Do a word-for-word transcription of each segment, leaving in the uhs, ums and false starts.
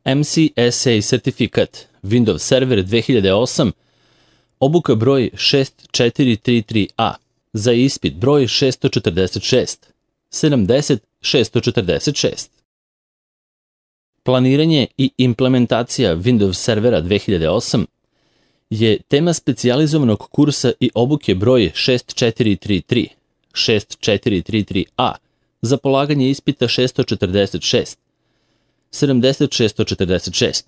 M C S A sertifikat Windows Server dve hiljade osam, obuka broj šest četiri tri tri A za ispit broj šest četrdeset šest sedamdeset šest četrdeset šest. Planiranje i implementacija Windows Servera dve hiljade osam je tema specijalizovanog kursa i obuke broj šest četiri tri tri šest četiri tri tri A za polaganje ispita šest četrdeset šest sedamdeset šest četrdeset šest,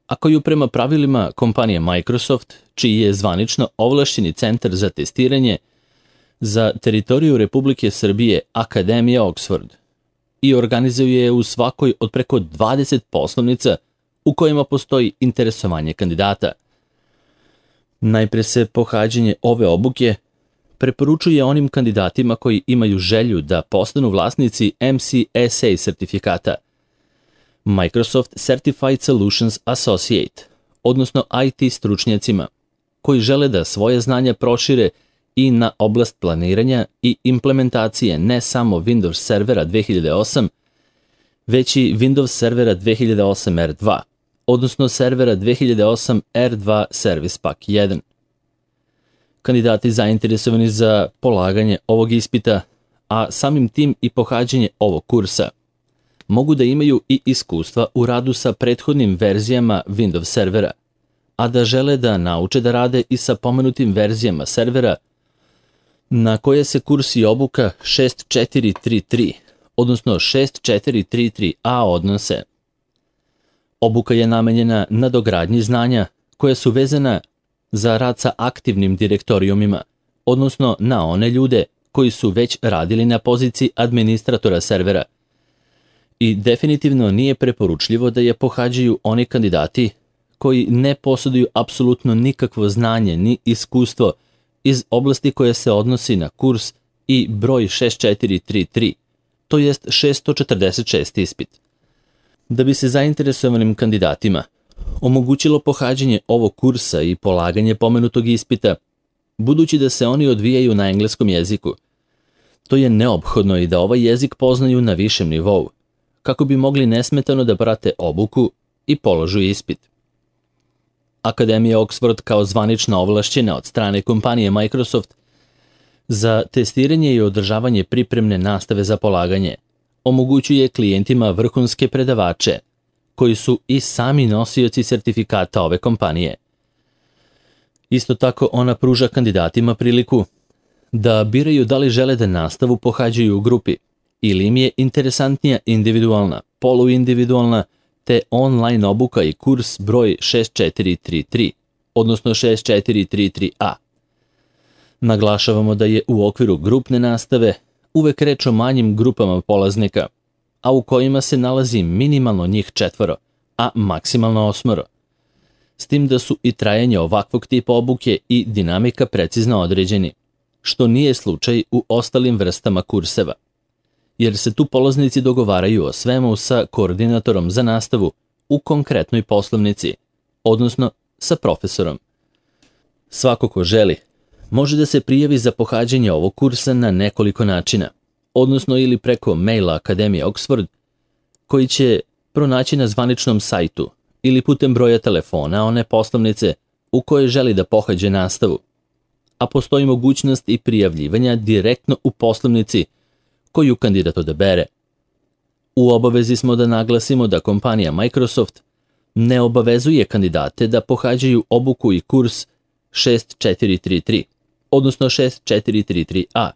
a koju prema pravilima kompanije Microsoft, čiji je zvanično ovlašćeni centar za testiranje za teritoriju Republike Srbije Akademija Oxford, i organizuje je u svakoj od preko dvadeset poslovnica u kojima postoji interesovanje kandidata. Najpre se pohađanje ove obuke preporučuje onim kandidatima koji imaju želju da postanu vlasnici M C S A sertifikata, Microsoft Certified Solutions Associate, odnosno I T stručnjacima, koji žele da svoje znanja prošire i na oblast planiranja i implementacije ne samo Windows Servera dve hiljade osam, već i Windows Servera dve hiljade osam R dva, odnosno Servera dve hiljade osam R dva Service Pack jedan. Kandidati zainteresovani za polaganje ovog ispita, a samim tim i pohađanje ovog kursa, mogu da imaju i iskustva u radu sa prethodnim verzijama Windows Servera, a da žele da nauče da rade i sa pomenutim verzijama servera na koje se kurs i obuka šest četiri tri tri, odnosno šest četiri tri tri A odnose. Obuka je namenjena na dogradnji znanja koja su vezana za rad sa aktivnim direktorijumima, odnosno na one ljude koji su već radili na poziciji administratora servera. I definitivno nije preporučljivo da je pohađaju oni kandidati koji ne posjeduju apsolutno nikakvo znanje ni iskustvo iz oblasti koje se odnosi na kurs i broj šest četiri tri tri, to jest šest četrdeset šest ispit. Da bi se zainteresovanim kandidatima omogućilo pohađanje ovog kursa i polaganje pomenutog ispita, budući da se oni odvijaju na engleskom jeziku, to je neophodno i da ovaj jezik poznaju na višem nivou, kako bi mogli nesmetano da prate obuku i položu ispit. Akademija Oxford kao zvanična ovlašćena od strane kompanije Microsoft za testiranje i održavanje pripremne nastave za polaganje omogućuje klijentima vrhunske predavače, koji su i sami nosioci sertifikata ove kompanije. Isto tako ona pruža kandidatima priliku da biraju da li žele da nastavu pohađaju u grupi ili im je interesantnija individualna, poluindividualna te online obuka i kurs broj šest četiri tri tri, odnosno šest četiri tri tri A. Naglašavamo da je u okviru grupne nastave uvek reč o manjim grupama polaznika, a u kojima se nalazi minimalno njih četvoro, a maksimalno osmoro. S tim da su i trajanje ovakvog tipa obuke i dinamika precizno određeni, što nije slučaj u ostalim vrstama kurseva, jer se tu polaznici dogovaraju o svemu sa koordinatorom za nastavu u konkretnoj poslovnici, odnosno sa profesorom. Svako ko želi može da se prijavi za pohađanje ovog kursa na nekoliko načina, odnosno ili preko maila Akademije Oxford, koji će pronaći na zvaničnom sajtu, ili putem broja telefona one poslovnice u kojoj želi da pohađe nastavu, a postoji mogućnost i prijavljivanja direktno u poslovnici koju kandidat odabere. U obavezi smo da naglasimo da kompanija Microsoft ne obavezuje kandidate da pohađaju obuku i kurs šest četiri tri tri, odnosno šest četiri tri tri A,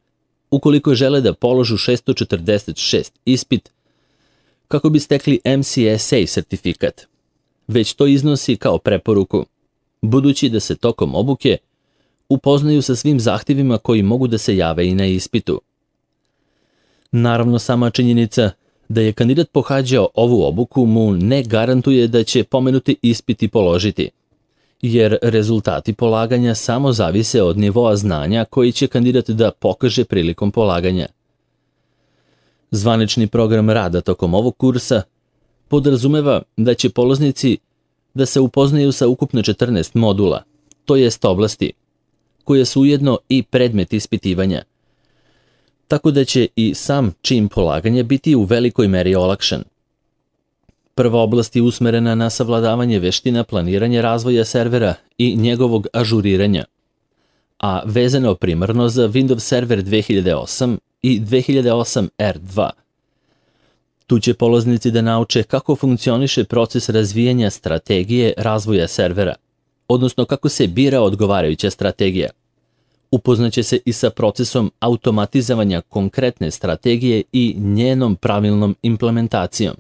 ukoliko žele da položu šest četrdeset šest ispit kako bi stekli M C S A sertifikat, već to iznosi kao preporuku, budući da se tokom obuke upoznaju sa svim zahtjevima koji mogu da se jave i na ispitu. Naravno, sama činjenica da je kandidat pohađao ovu obuku mu ne garantuje da će pomenuti ispiti položiti, jer rezultati polaganja samo zavise od nivoa znanja koji će kandidat da pokaže prilikom polaganja. Zvanični program rada tokom ovog kursa podrazumeva da će polaznici da se upoznaju sa ukupno četrnaest modula, to jest oblasti, koje su ujedno i predmet ispitivanja, tako da će i sam čin polaganja biti u velikoj meri olakšan. Prva oblast je usmerena na savladavanje veština planiranja razvoja servera i njegovog ažuriranja, a vezano primarno za Windows Server dve hiljade osam i dve hiljade osam R dva. Tu će polaznici da nauče kako funkcioniše proces razvijanja strategije razvoja servera, odnosno kako se bira odgovarajuća strategija. Upoznaće se i sa procesom automatizovanja konkretne strategije i njenom pravilnom implementacijom.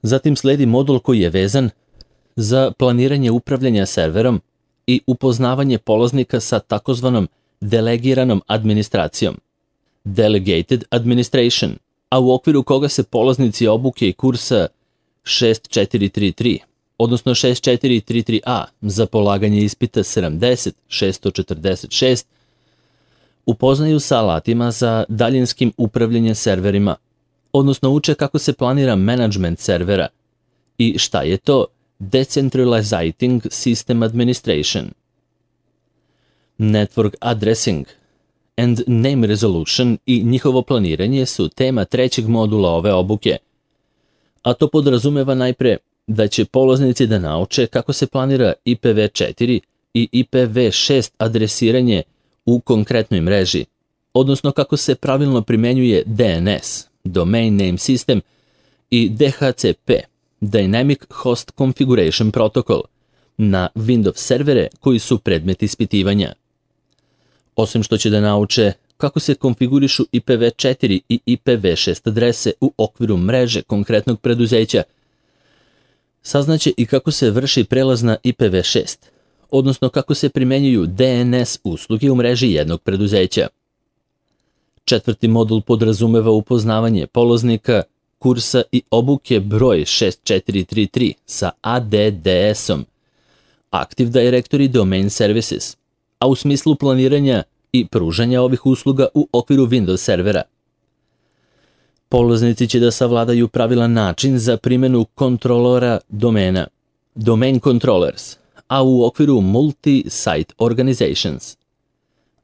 Zatim sledi modul koji je vezan za planiranje upravljanja serverom i upoznavanje polaznika sa takozvanom delegiranom administracijom, Delegated Administration, a u okviru koga se polaznici obuke i kursa šest četiri tri tri, odnosno šest četiri tri tri A za polaganje ispita sedamdeset šest četrdeset šest, upoznaju sa alatima za daljinskim upravljanjem serverima, odnosno uče kako se planira management servera i šta je to Decentralizing System Administration. Network Addressing and Name Resolution i njihovo planiranje su tema trećeg modula ove obuke, a to podrazumeva najpre da će polaznici da nauče kako se planira I P v četiri i I P v šest adresiranje u konkretnoj mreži, odnosno kako se pravilno primenjuje D N S, Domain Name System, i D H C P, Dynamic Host Configuration Protocol, na Windows servere koji su predmet ispitivanja. Osim što će da nauče kako se konfigurišu I P v četiri i I P v šest adrese u okviru mreže konkretnog preduzeća, saznaće i kako se vrši prelaz na I P v šest, odnosno kako se primenjuju D N S usluge u mreži jednog preduzeća. Četvrti modul podrazumeva upoznavanje polaznika kursa i obuke broj šest četiri tri tri sa A D D S-om, Active Directory Domain Services, a u smislu planiranja i pružanja ovih usluga u okviru Windows servera. Polaznici će da savladaju pravilan način za primjenu kontrolora domena, Domain Controllers, a u okviru Multi-Site Organizations.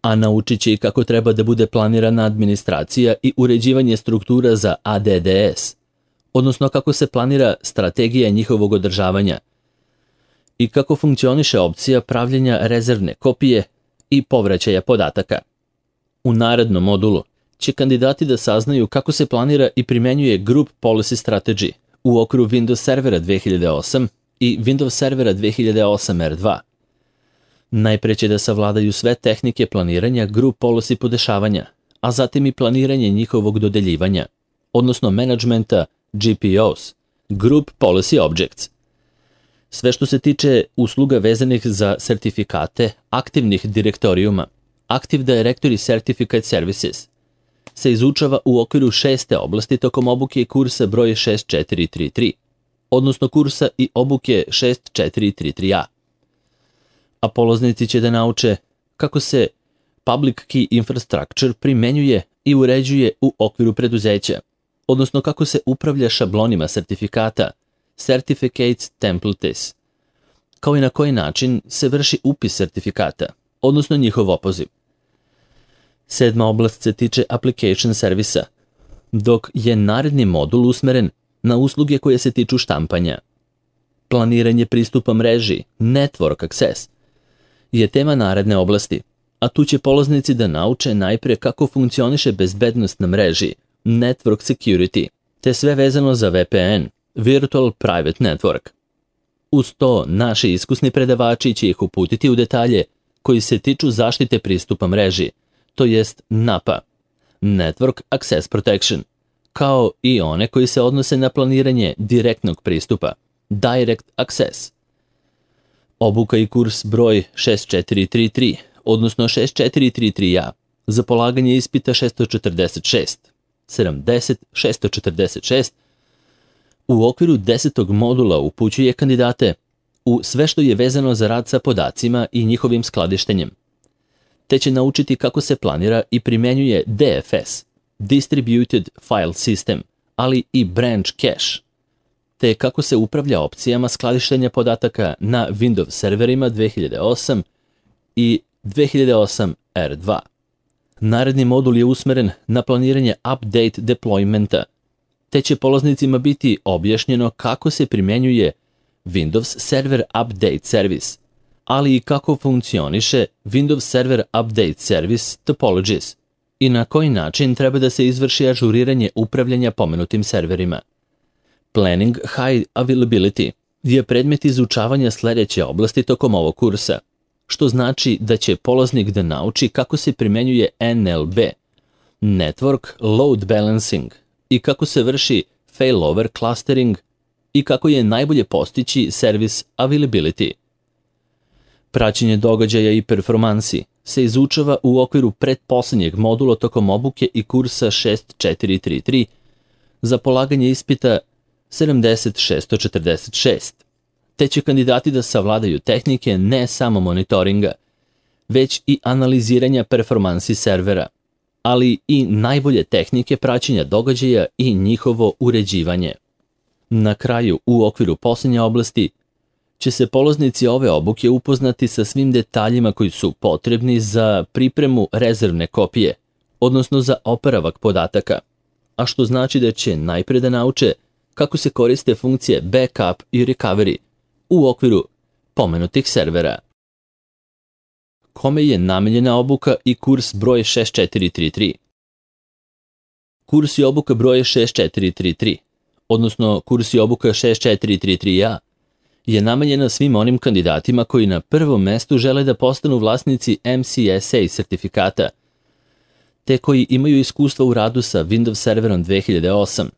A naučit će i kako treba da bude planirana administracija i uređivanje struktura za A D D S, odnosno kako se planira strategija njihovog održavanja i kako funkcioniše opcija pravljenja rezervne kopije i povraćaja podataka. U narednom modulu će kandidati da saznaju kako se planira i primenjuje Group Policy Strategy u okviru Windows Servera dve hiljade osam i Windows Servera dve hiljade osam R dva. Najpre će da savladaju sve tehnike planiranja Group Policy podešavanja, a zatim i planiranje njihovog dodeljivanja, odnosno menadžmenta G P Os, Group Policy Objects. Sve što se tiče usluga vezanih za sertifikate aktivnih direktorijuma, Active Directory Certificate Services, se izučava u okviru šeste oblasti tokom obuke kursa broj šest četiri tri tri, odnosno kursa i obuke šest četiri tri tri A. A polaznici će da nauče kako se Public Key Infrastructure primenjuje i uređuje u okviru preduzeća, odnosno kako se upravlja šablonima sertifikata, Certificates Templates, kao i na koji način se vrši upis sertifikata, odnosno njihov opoziv. Sedma oblast se tiče Application Servisa, dok je naredni modul usmeren na usluge koje se tiču štampanja. Planiranje pristupa mreži, Network Access, je tema naredne oblasti, a tu će polaznici da nauče najpre kako funkcioniše bezbednost na mreži, Network Security, te sve vezano za V P N, Virtual Private Network. Uz to, naši iskusni predavači će ih uputiti u detalje koji se tiču zaštite pristupa mreži, to jest N A P A, Network Access Protection, kao i one koji se odnose na planiranje direktnog pristupa, Direct Access. Obuka i kurs broj šest četiri tri tri, odnosno šest četiri tri tri A, za polaganje ispita šest četrdeset šest, sedamdeset šest četrdeset šest, u okviru desetog modula upućuje kandidate u sve što je vezano za rad sa podacima i njihovim skladištenjem, te će naučiti kako se planira i primenjuje D F S, Distributed File System, ali i Branch Cache, te kako se upravlja opcijama skladištenja podataka na Windows serverima dve hiljade osam i dve hiljade osam R dva. Naredni modul je usmeren na planiranje update deploymenta, te te će polaznicima biti objašnjeno kako se primjenjuje Windows Server Update Service, ali i kako funkcioniše Windows Server Update Service Topologies i na koji način treba da se izvrši ažuriranje upravljanja pomenutim serverima. Planning High Availability je predmet izučavanja sledeće oblasti tokom ovog kursa, što znači da će polaznik da nauči kako se primenjuje N L B, Network Load Balancing, i kako se vrši Failover Clustering i kako je najbolje postići Service Availability. Praćenje događaja i performansi se izučava u okviru pretposlednjeg modula tokom obuke i kursa šest četiri tri tri za polaganje ispita sedamdeset šest četrdeset šest, te će kandidati da savladaju tehnike ne samo monitoringa, već i analiziranja performansi servera, ali i najbolje tehnike praćenja događaja i njihovo uređivanje. Na kraju, u okviru posljednje oblasti, će se polaznici ove obuke upoznati sa svim detaljima koji su potrebni za pripremu rezervne kopije, odnosno za oporavak podataka, a što znači da će najpre da nauče kako se koriste funkcije backup i recovery u okviru pomenutih servera. Kome je namenjena obuka i kurs broj šest četiri tri tri? Kurs i obuka broj šest četiri tri tri, odnosno kurs i obuka šest četiri tri tri A, je namenjena svim onim kandidatima koji na prvom mestu žele da postanu vlasnici M C S A sertifikata, te koji imaju iskustva u radu sa Windows Serverom dve hiljade osam,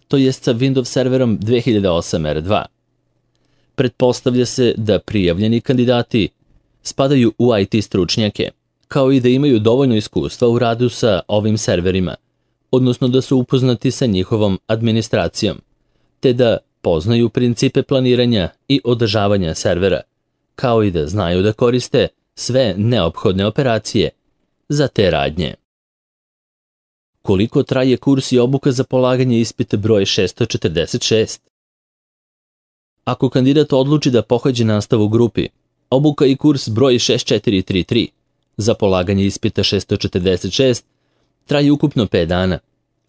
to jest sa Windows Serverom dve hiljade osam R dva. Pretpostavlja se da prijavljeni kandidati spadaju u I T stručnjake, kao i da imaju dovoljno iskustva u radu sa ovim serverima, odnosno da su upoznati sa njihovom administracijom, te da poznaju principe planiranja i održavanja servera, kao i da znaju da koriste sve neophodne operacije za te radnje. Koliko traje kurs i obuka za polaganje ispita broj šest četrdeset šest? Ako kandidat odluči da pohađe nastavu u grupi, obuka i kurs broj šest četiri tri tri za polaganje ispita šest četrdeset šest traje ukupno pet dana,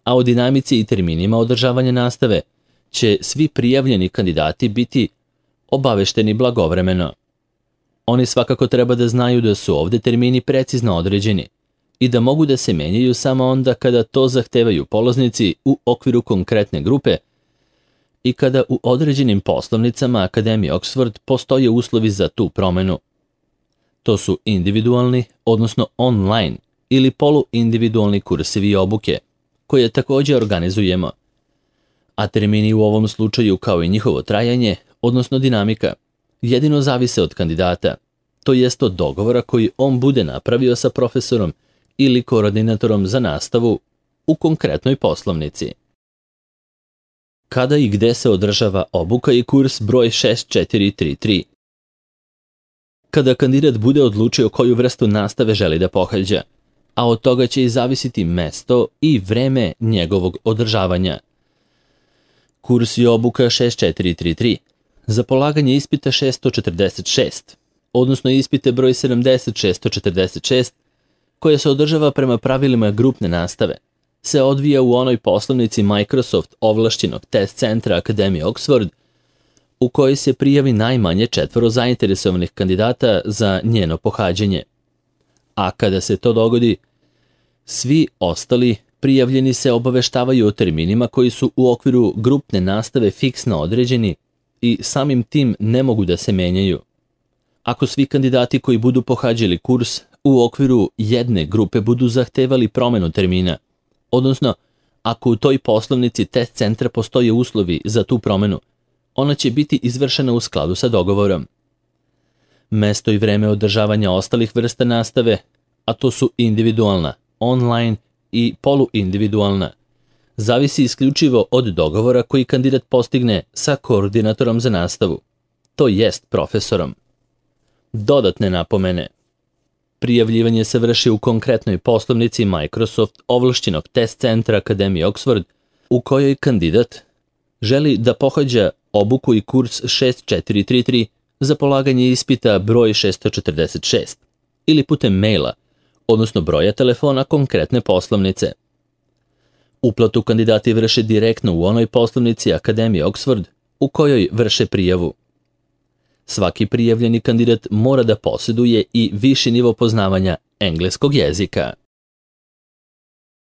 a o dinamici i terminima održavanja nastave će svi prijavljeni kandidati biti obavešteni blagovremeno. Oni svakako treba da znaju da su ovde termini precizno određeni i da mogu da se menjaju samo onda kada to zahtevaju polaznici u okviru konkretne grupe i kada u određenim poslovnicama Akademije Oxford postoje uslovi za tu promenu. To su individualni, odnosno online ili poluindividualni kursevi i obuke, koje takođe organizujemo, a termini u ovom slučaju kao i njihovo trajanje, odnosno dinamika, jedino zavise od kandidata, to jest od dogovora koji on bude napravio sa profesorom ili koordinatorom za nastavu u konkretnoj poslovnici. Kada i gde se održava obuka i kurs broj šest četiri tri tri? Kada kandidat bude odlučio koju vrstu nastave želi da pohađa, a od toga će i zavisiti mesto i vreme njegovog održavanja. Kurs i obuka šest četiri tri tri za polaganje ispita šest četrdeset šest, odnosno ispite broj sedamdeset šest četrdeset šest, koja se održava prema pravilima grupne nastave, se odvija u onoj poslovnici Microsoft ovlašćenog test centra Akademije Oxford, u kojoj se prijavi najmanje četvoro zainteresovanih kandidata za njeno pohađanje. A kada se to dogodi, svi ostali prijavljeni se obaveštavaju o terminima koji su u okviru grupne nastave fiksno određeni i samim tim ne mogu da se menjaju. Ako svi kandidati koji budu pohađali kurs u okviru jedne grupe budu zahtevali promenu termina, odnosno ako u toj poslovnici test centra postoje uslovi za tu promenu, ona će biti izvršena u skladu sa dogovorom. Mesto i vreme održavanja ostalih vrsta nastave, a to su individualna, online i poluindividualna, zavisi isključivo od dogovora koji kandidat postigne sa koordinatorom za nastavu, to jest profesorom. Dodatne napomene. Prijavljivanje se vrši u konkretnoj poslovnici Microsoft ovlašćenog test centra Akademije Oxford, u kojoj kandidat želi da pohađa obuku i kurs šest četiri tri tri za polaganje ispita broj šest četrdeset šest ili putem maila, odnosno broja telefona konkretne poslovnice. Uplatu kandidati vrše direktno u onoj poslovnici Akademije Oxford u kojoj vrše prijavu. Svaki prijavljeni kandidat mora da posjeduje i viši nivo poznavanja engleskog jezika.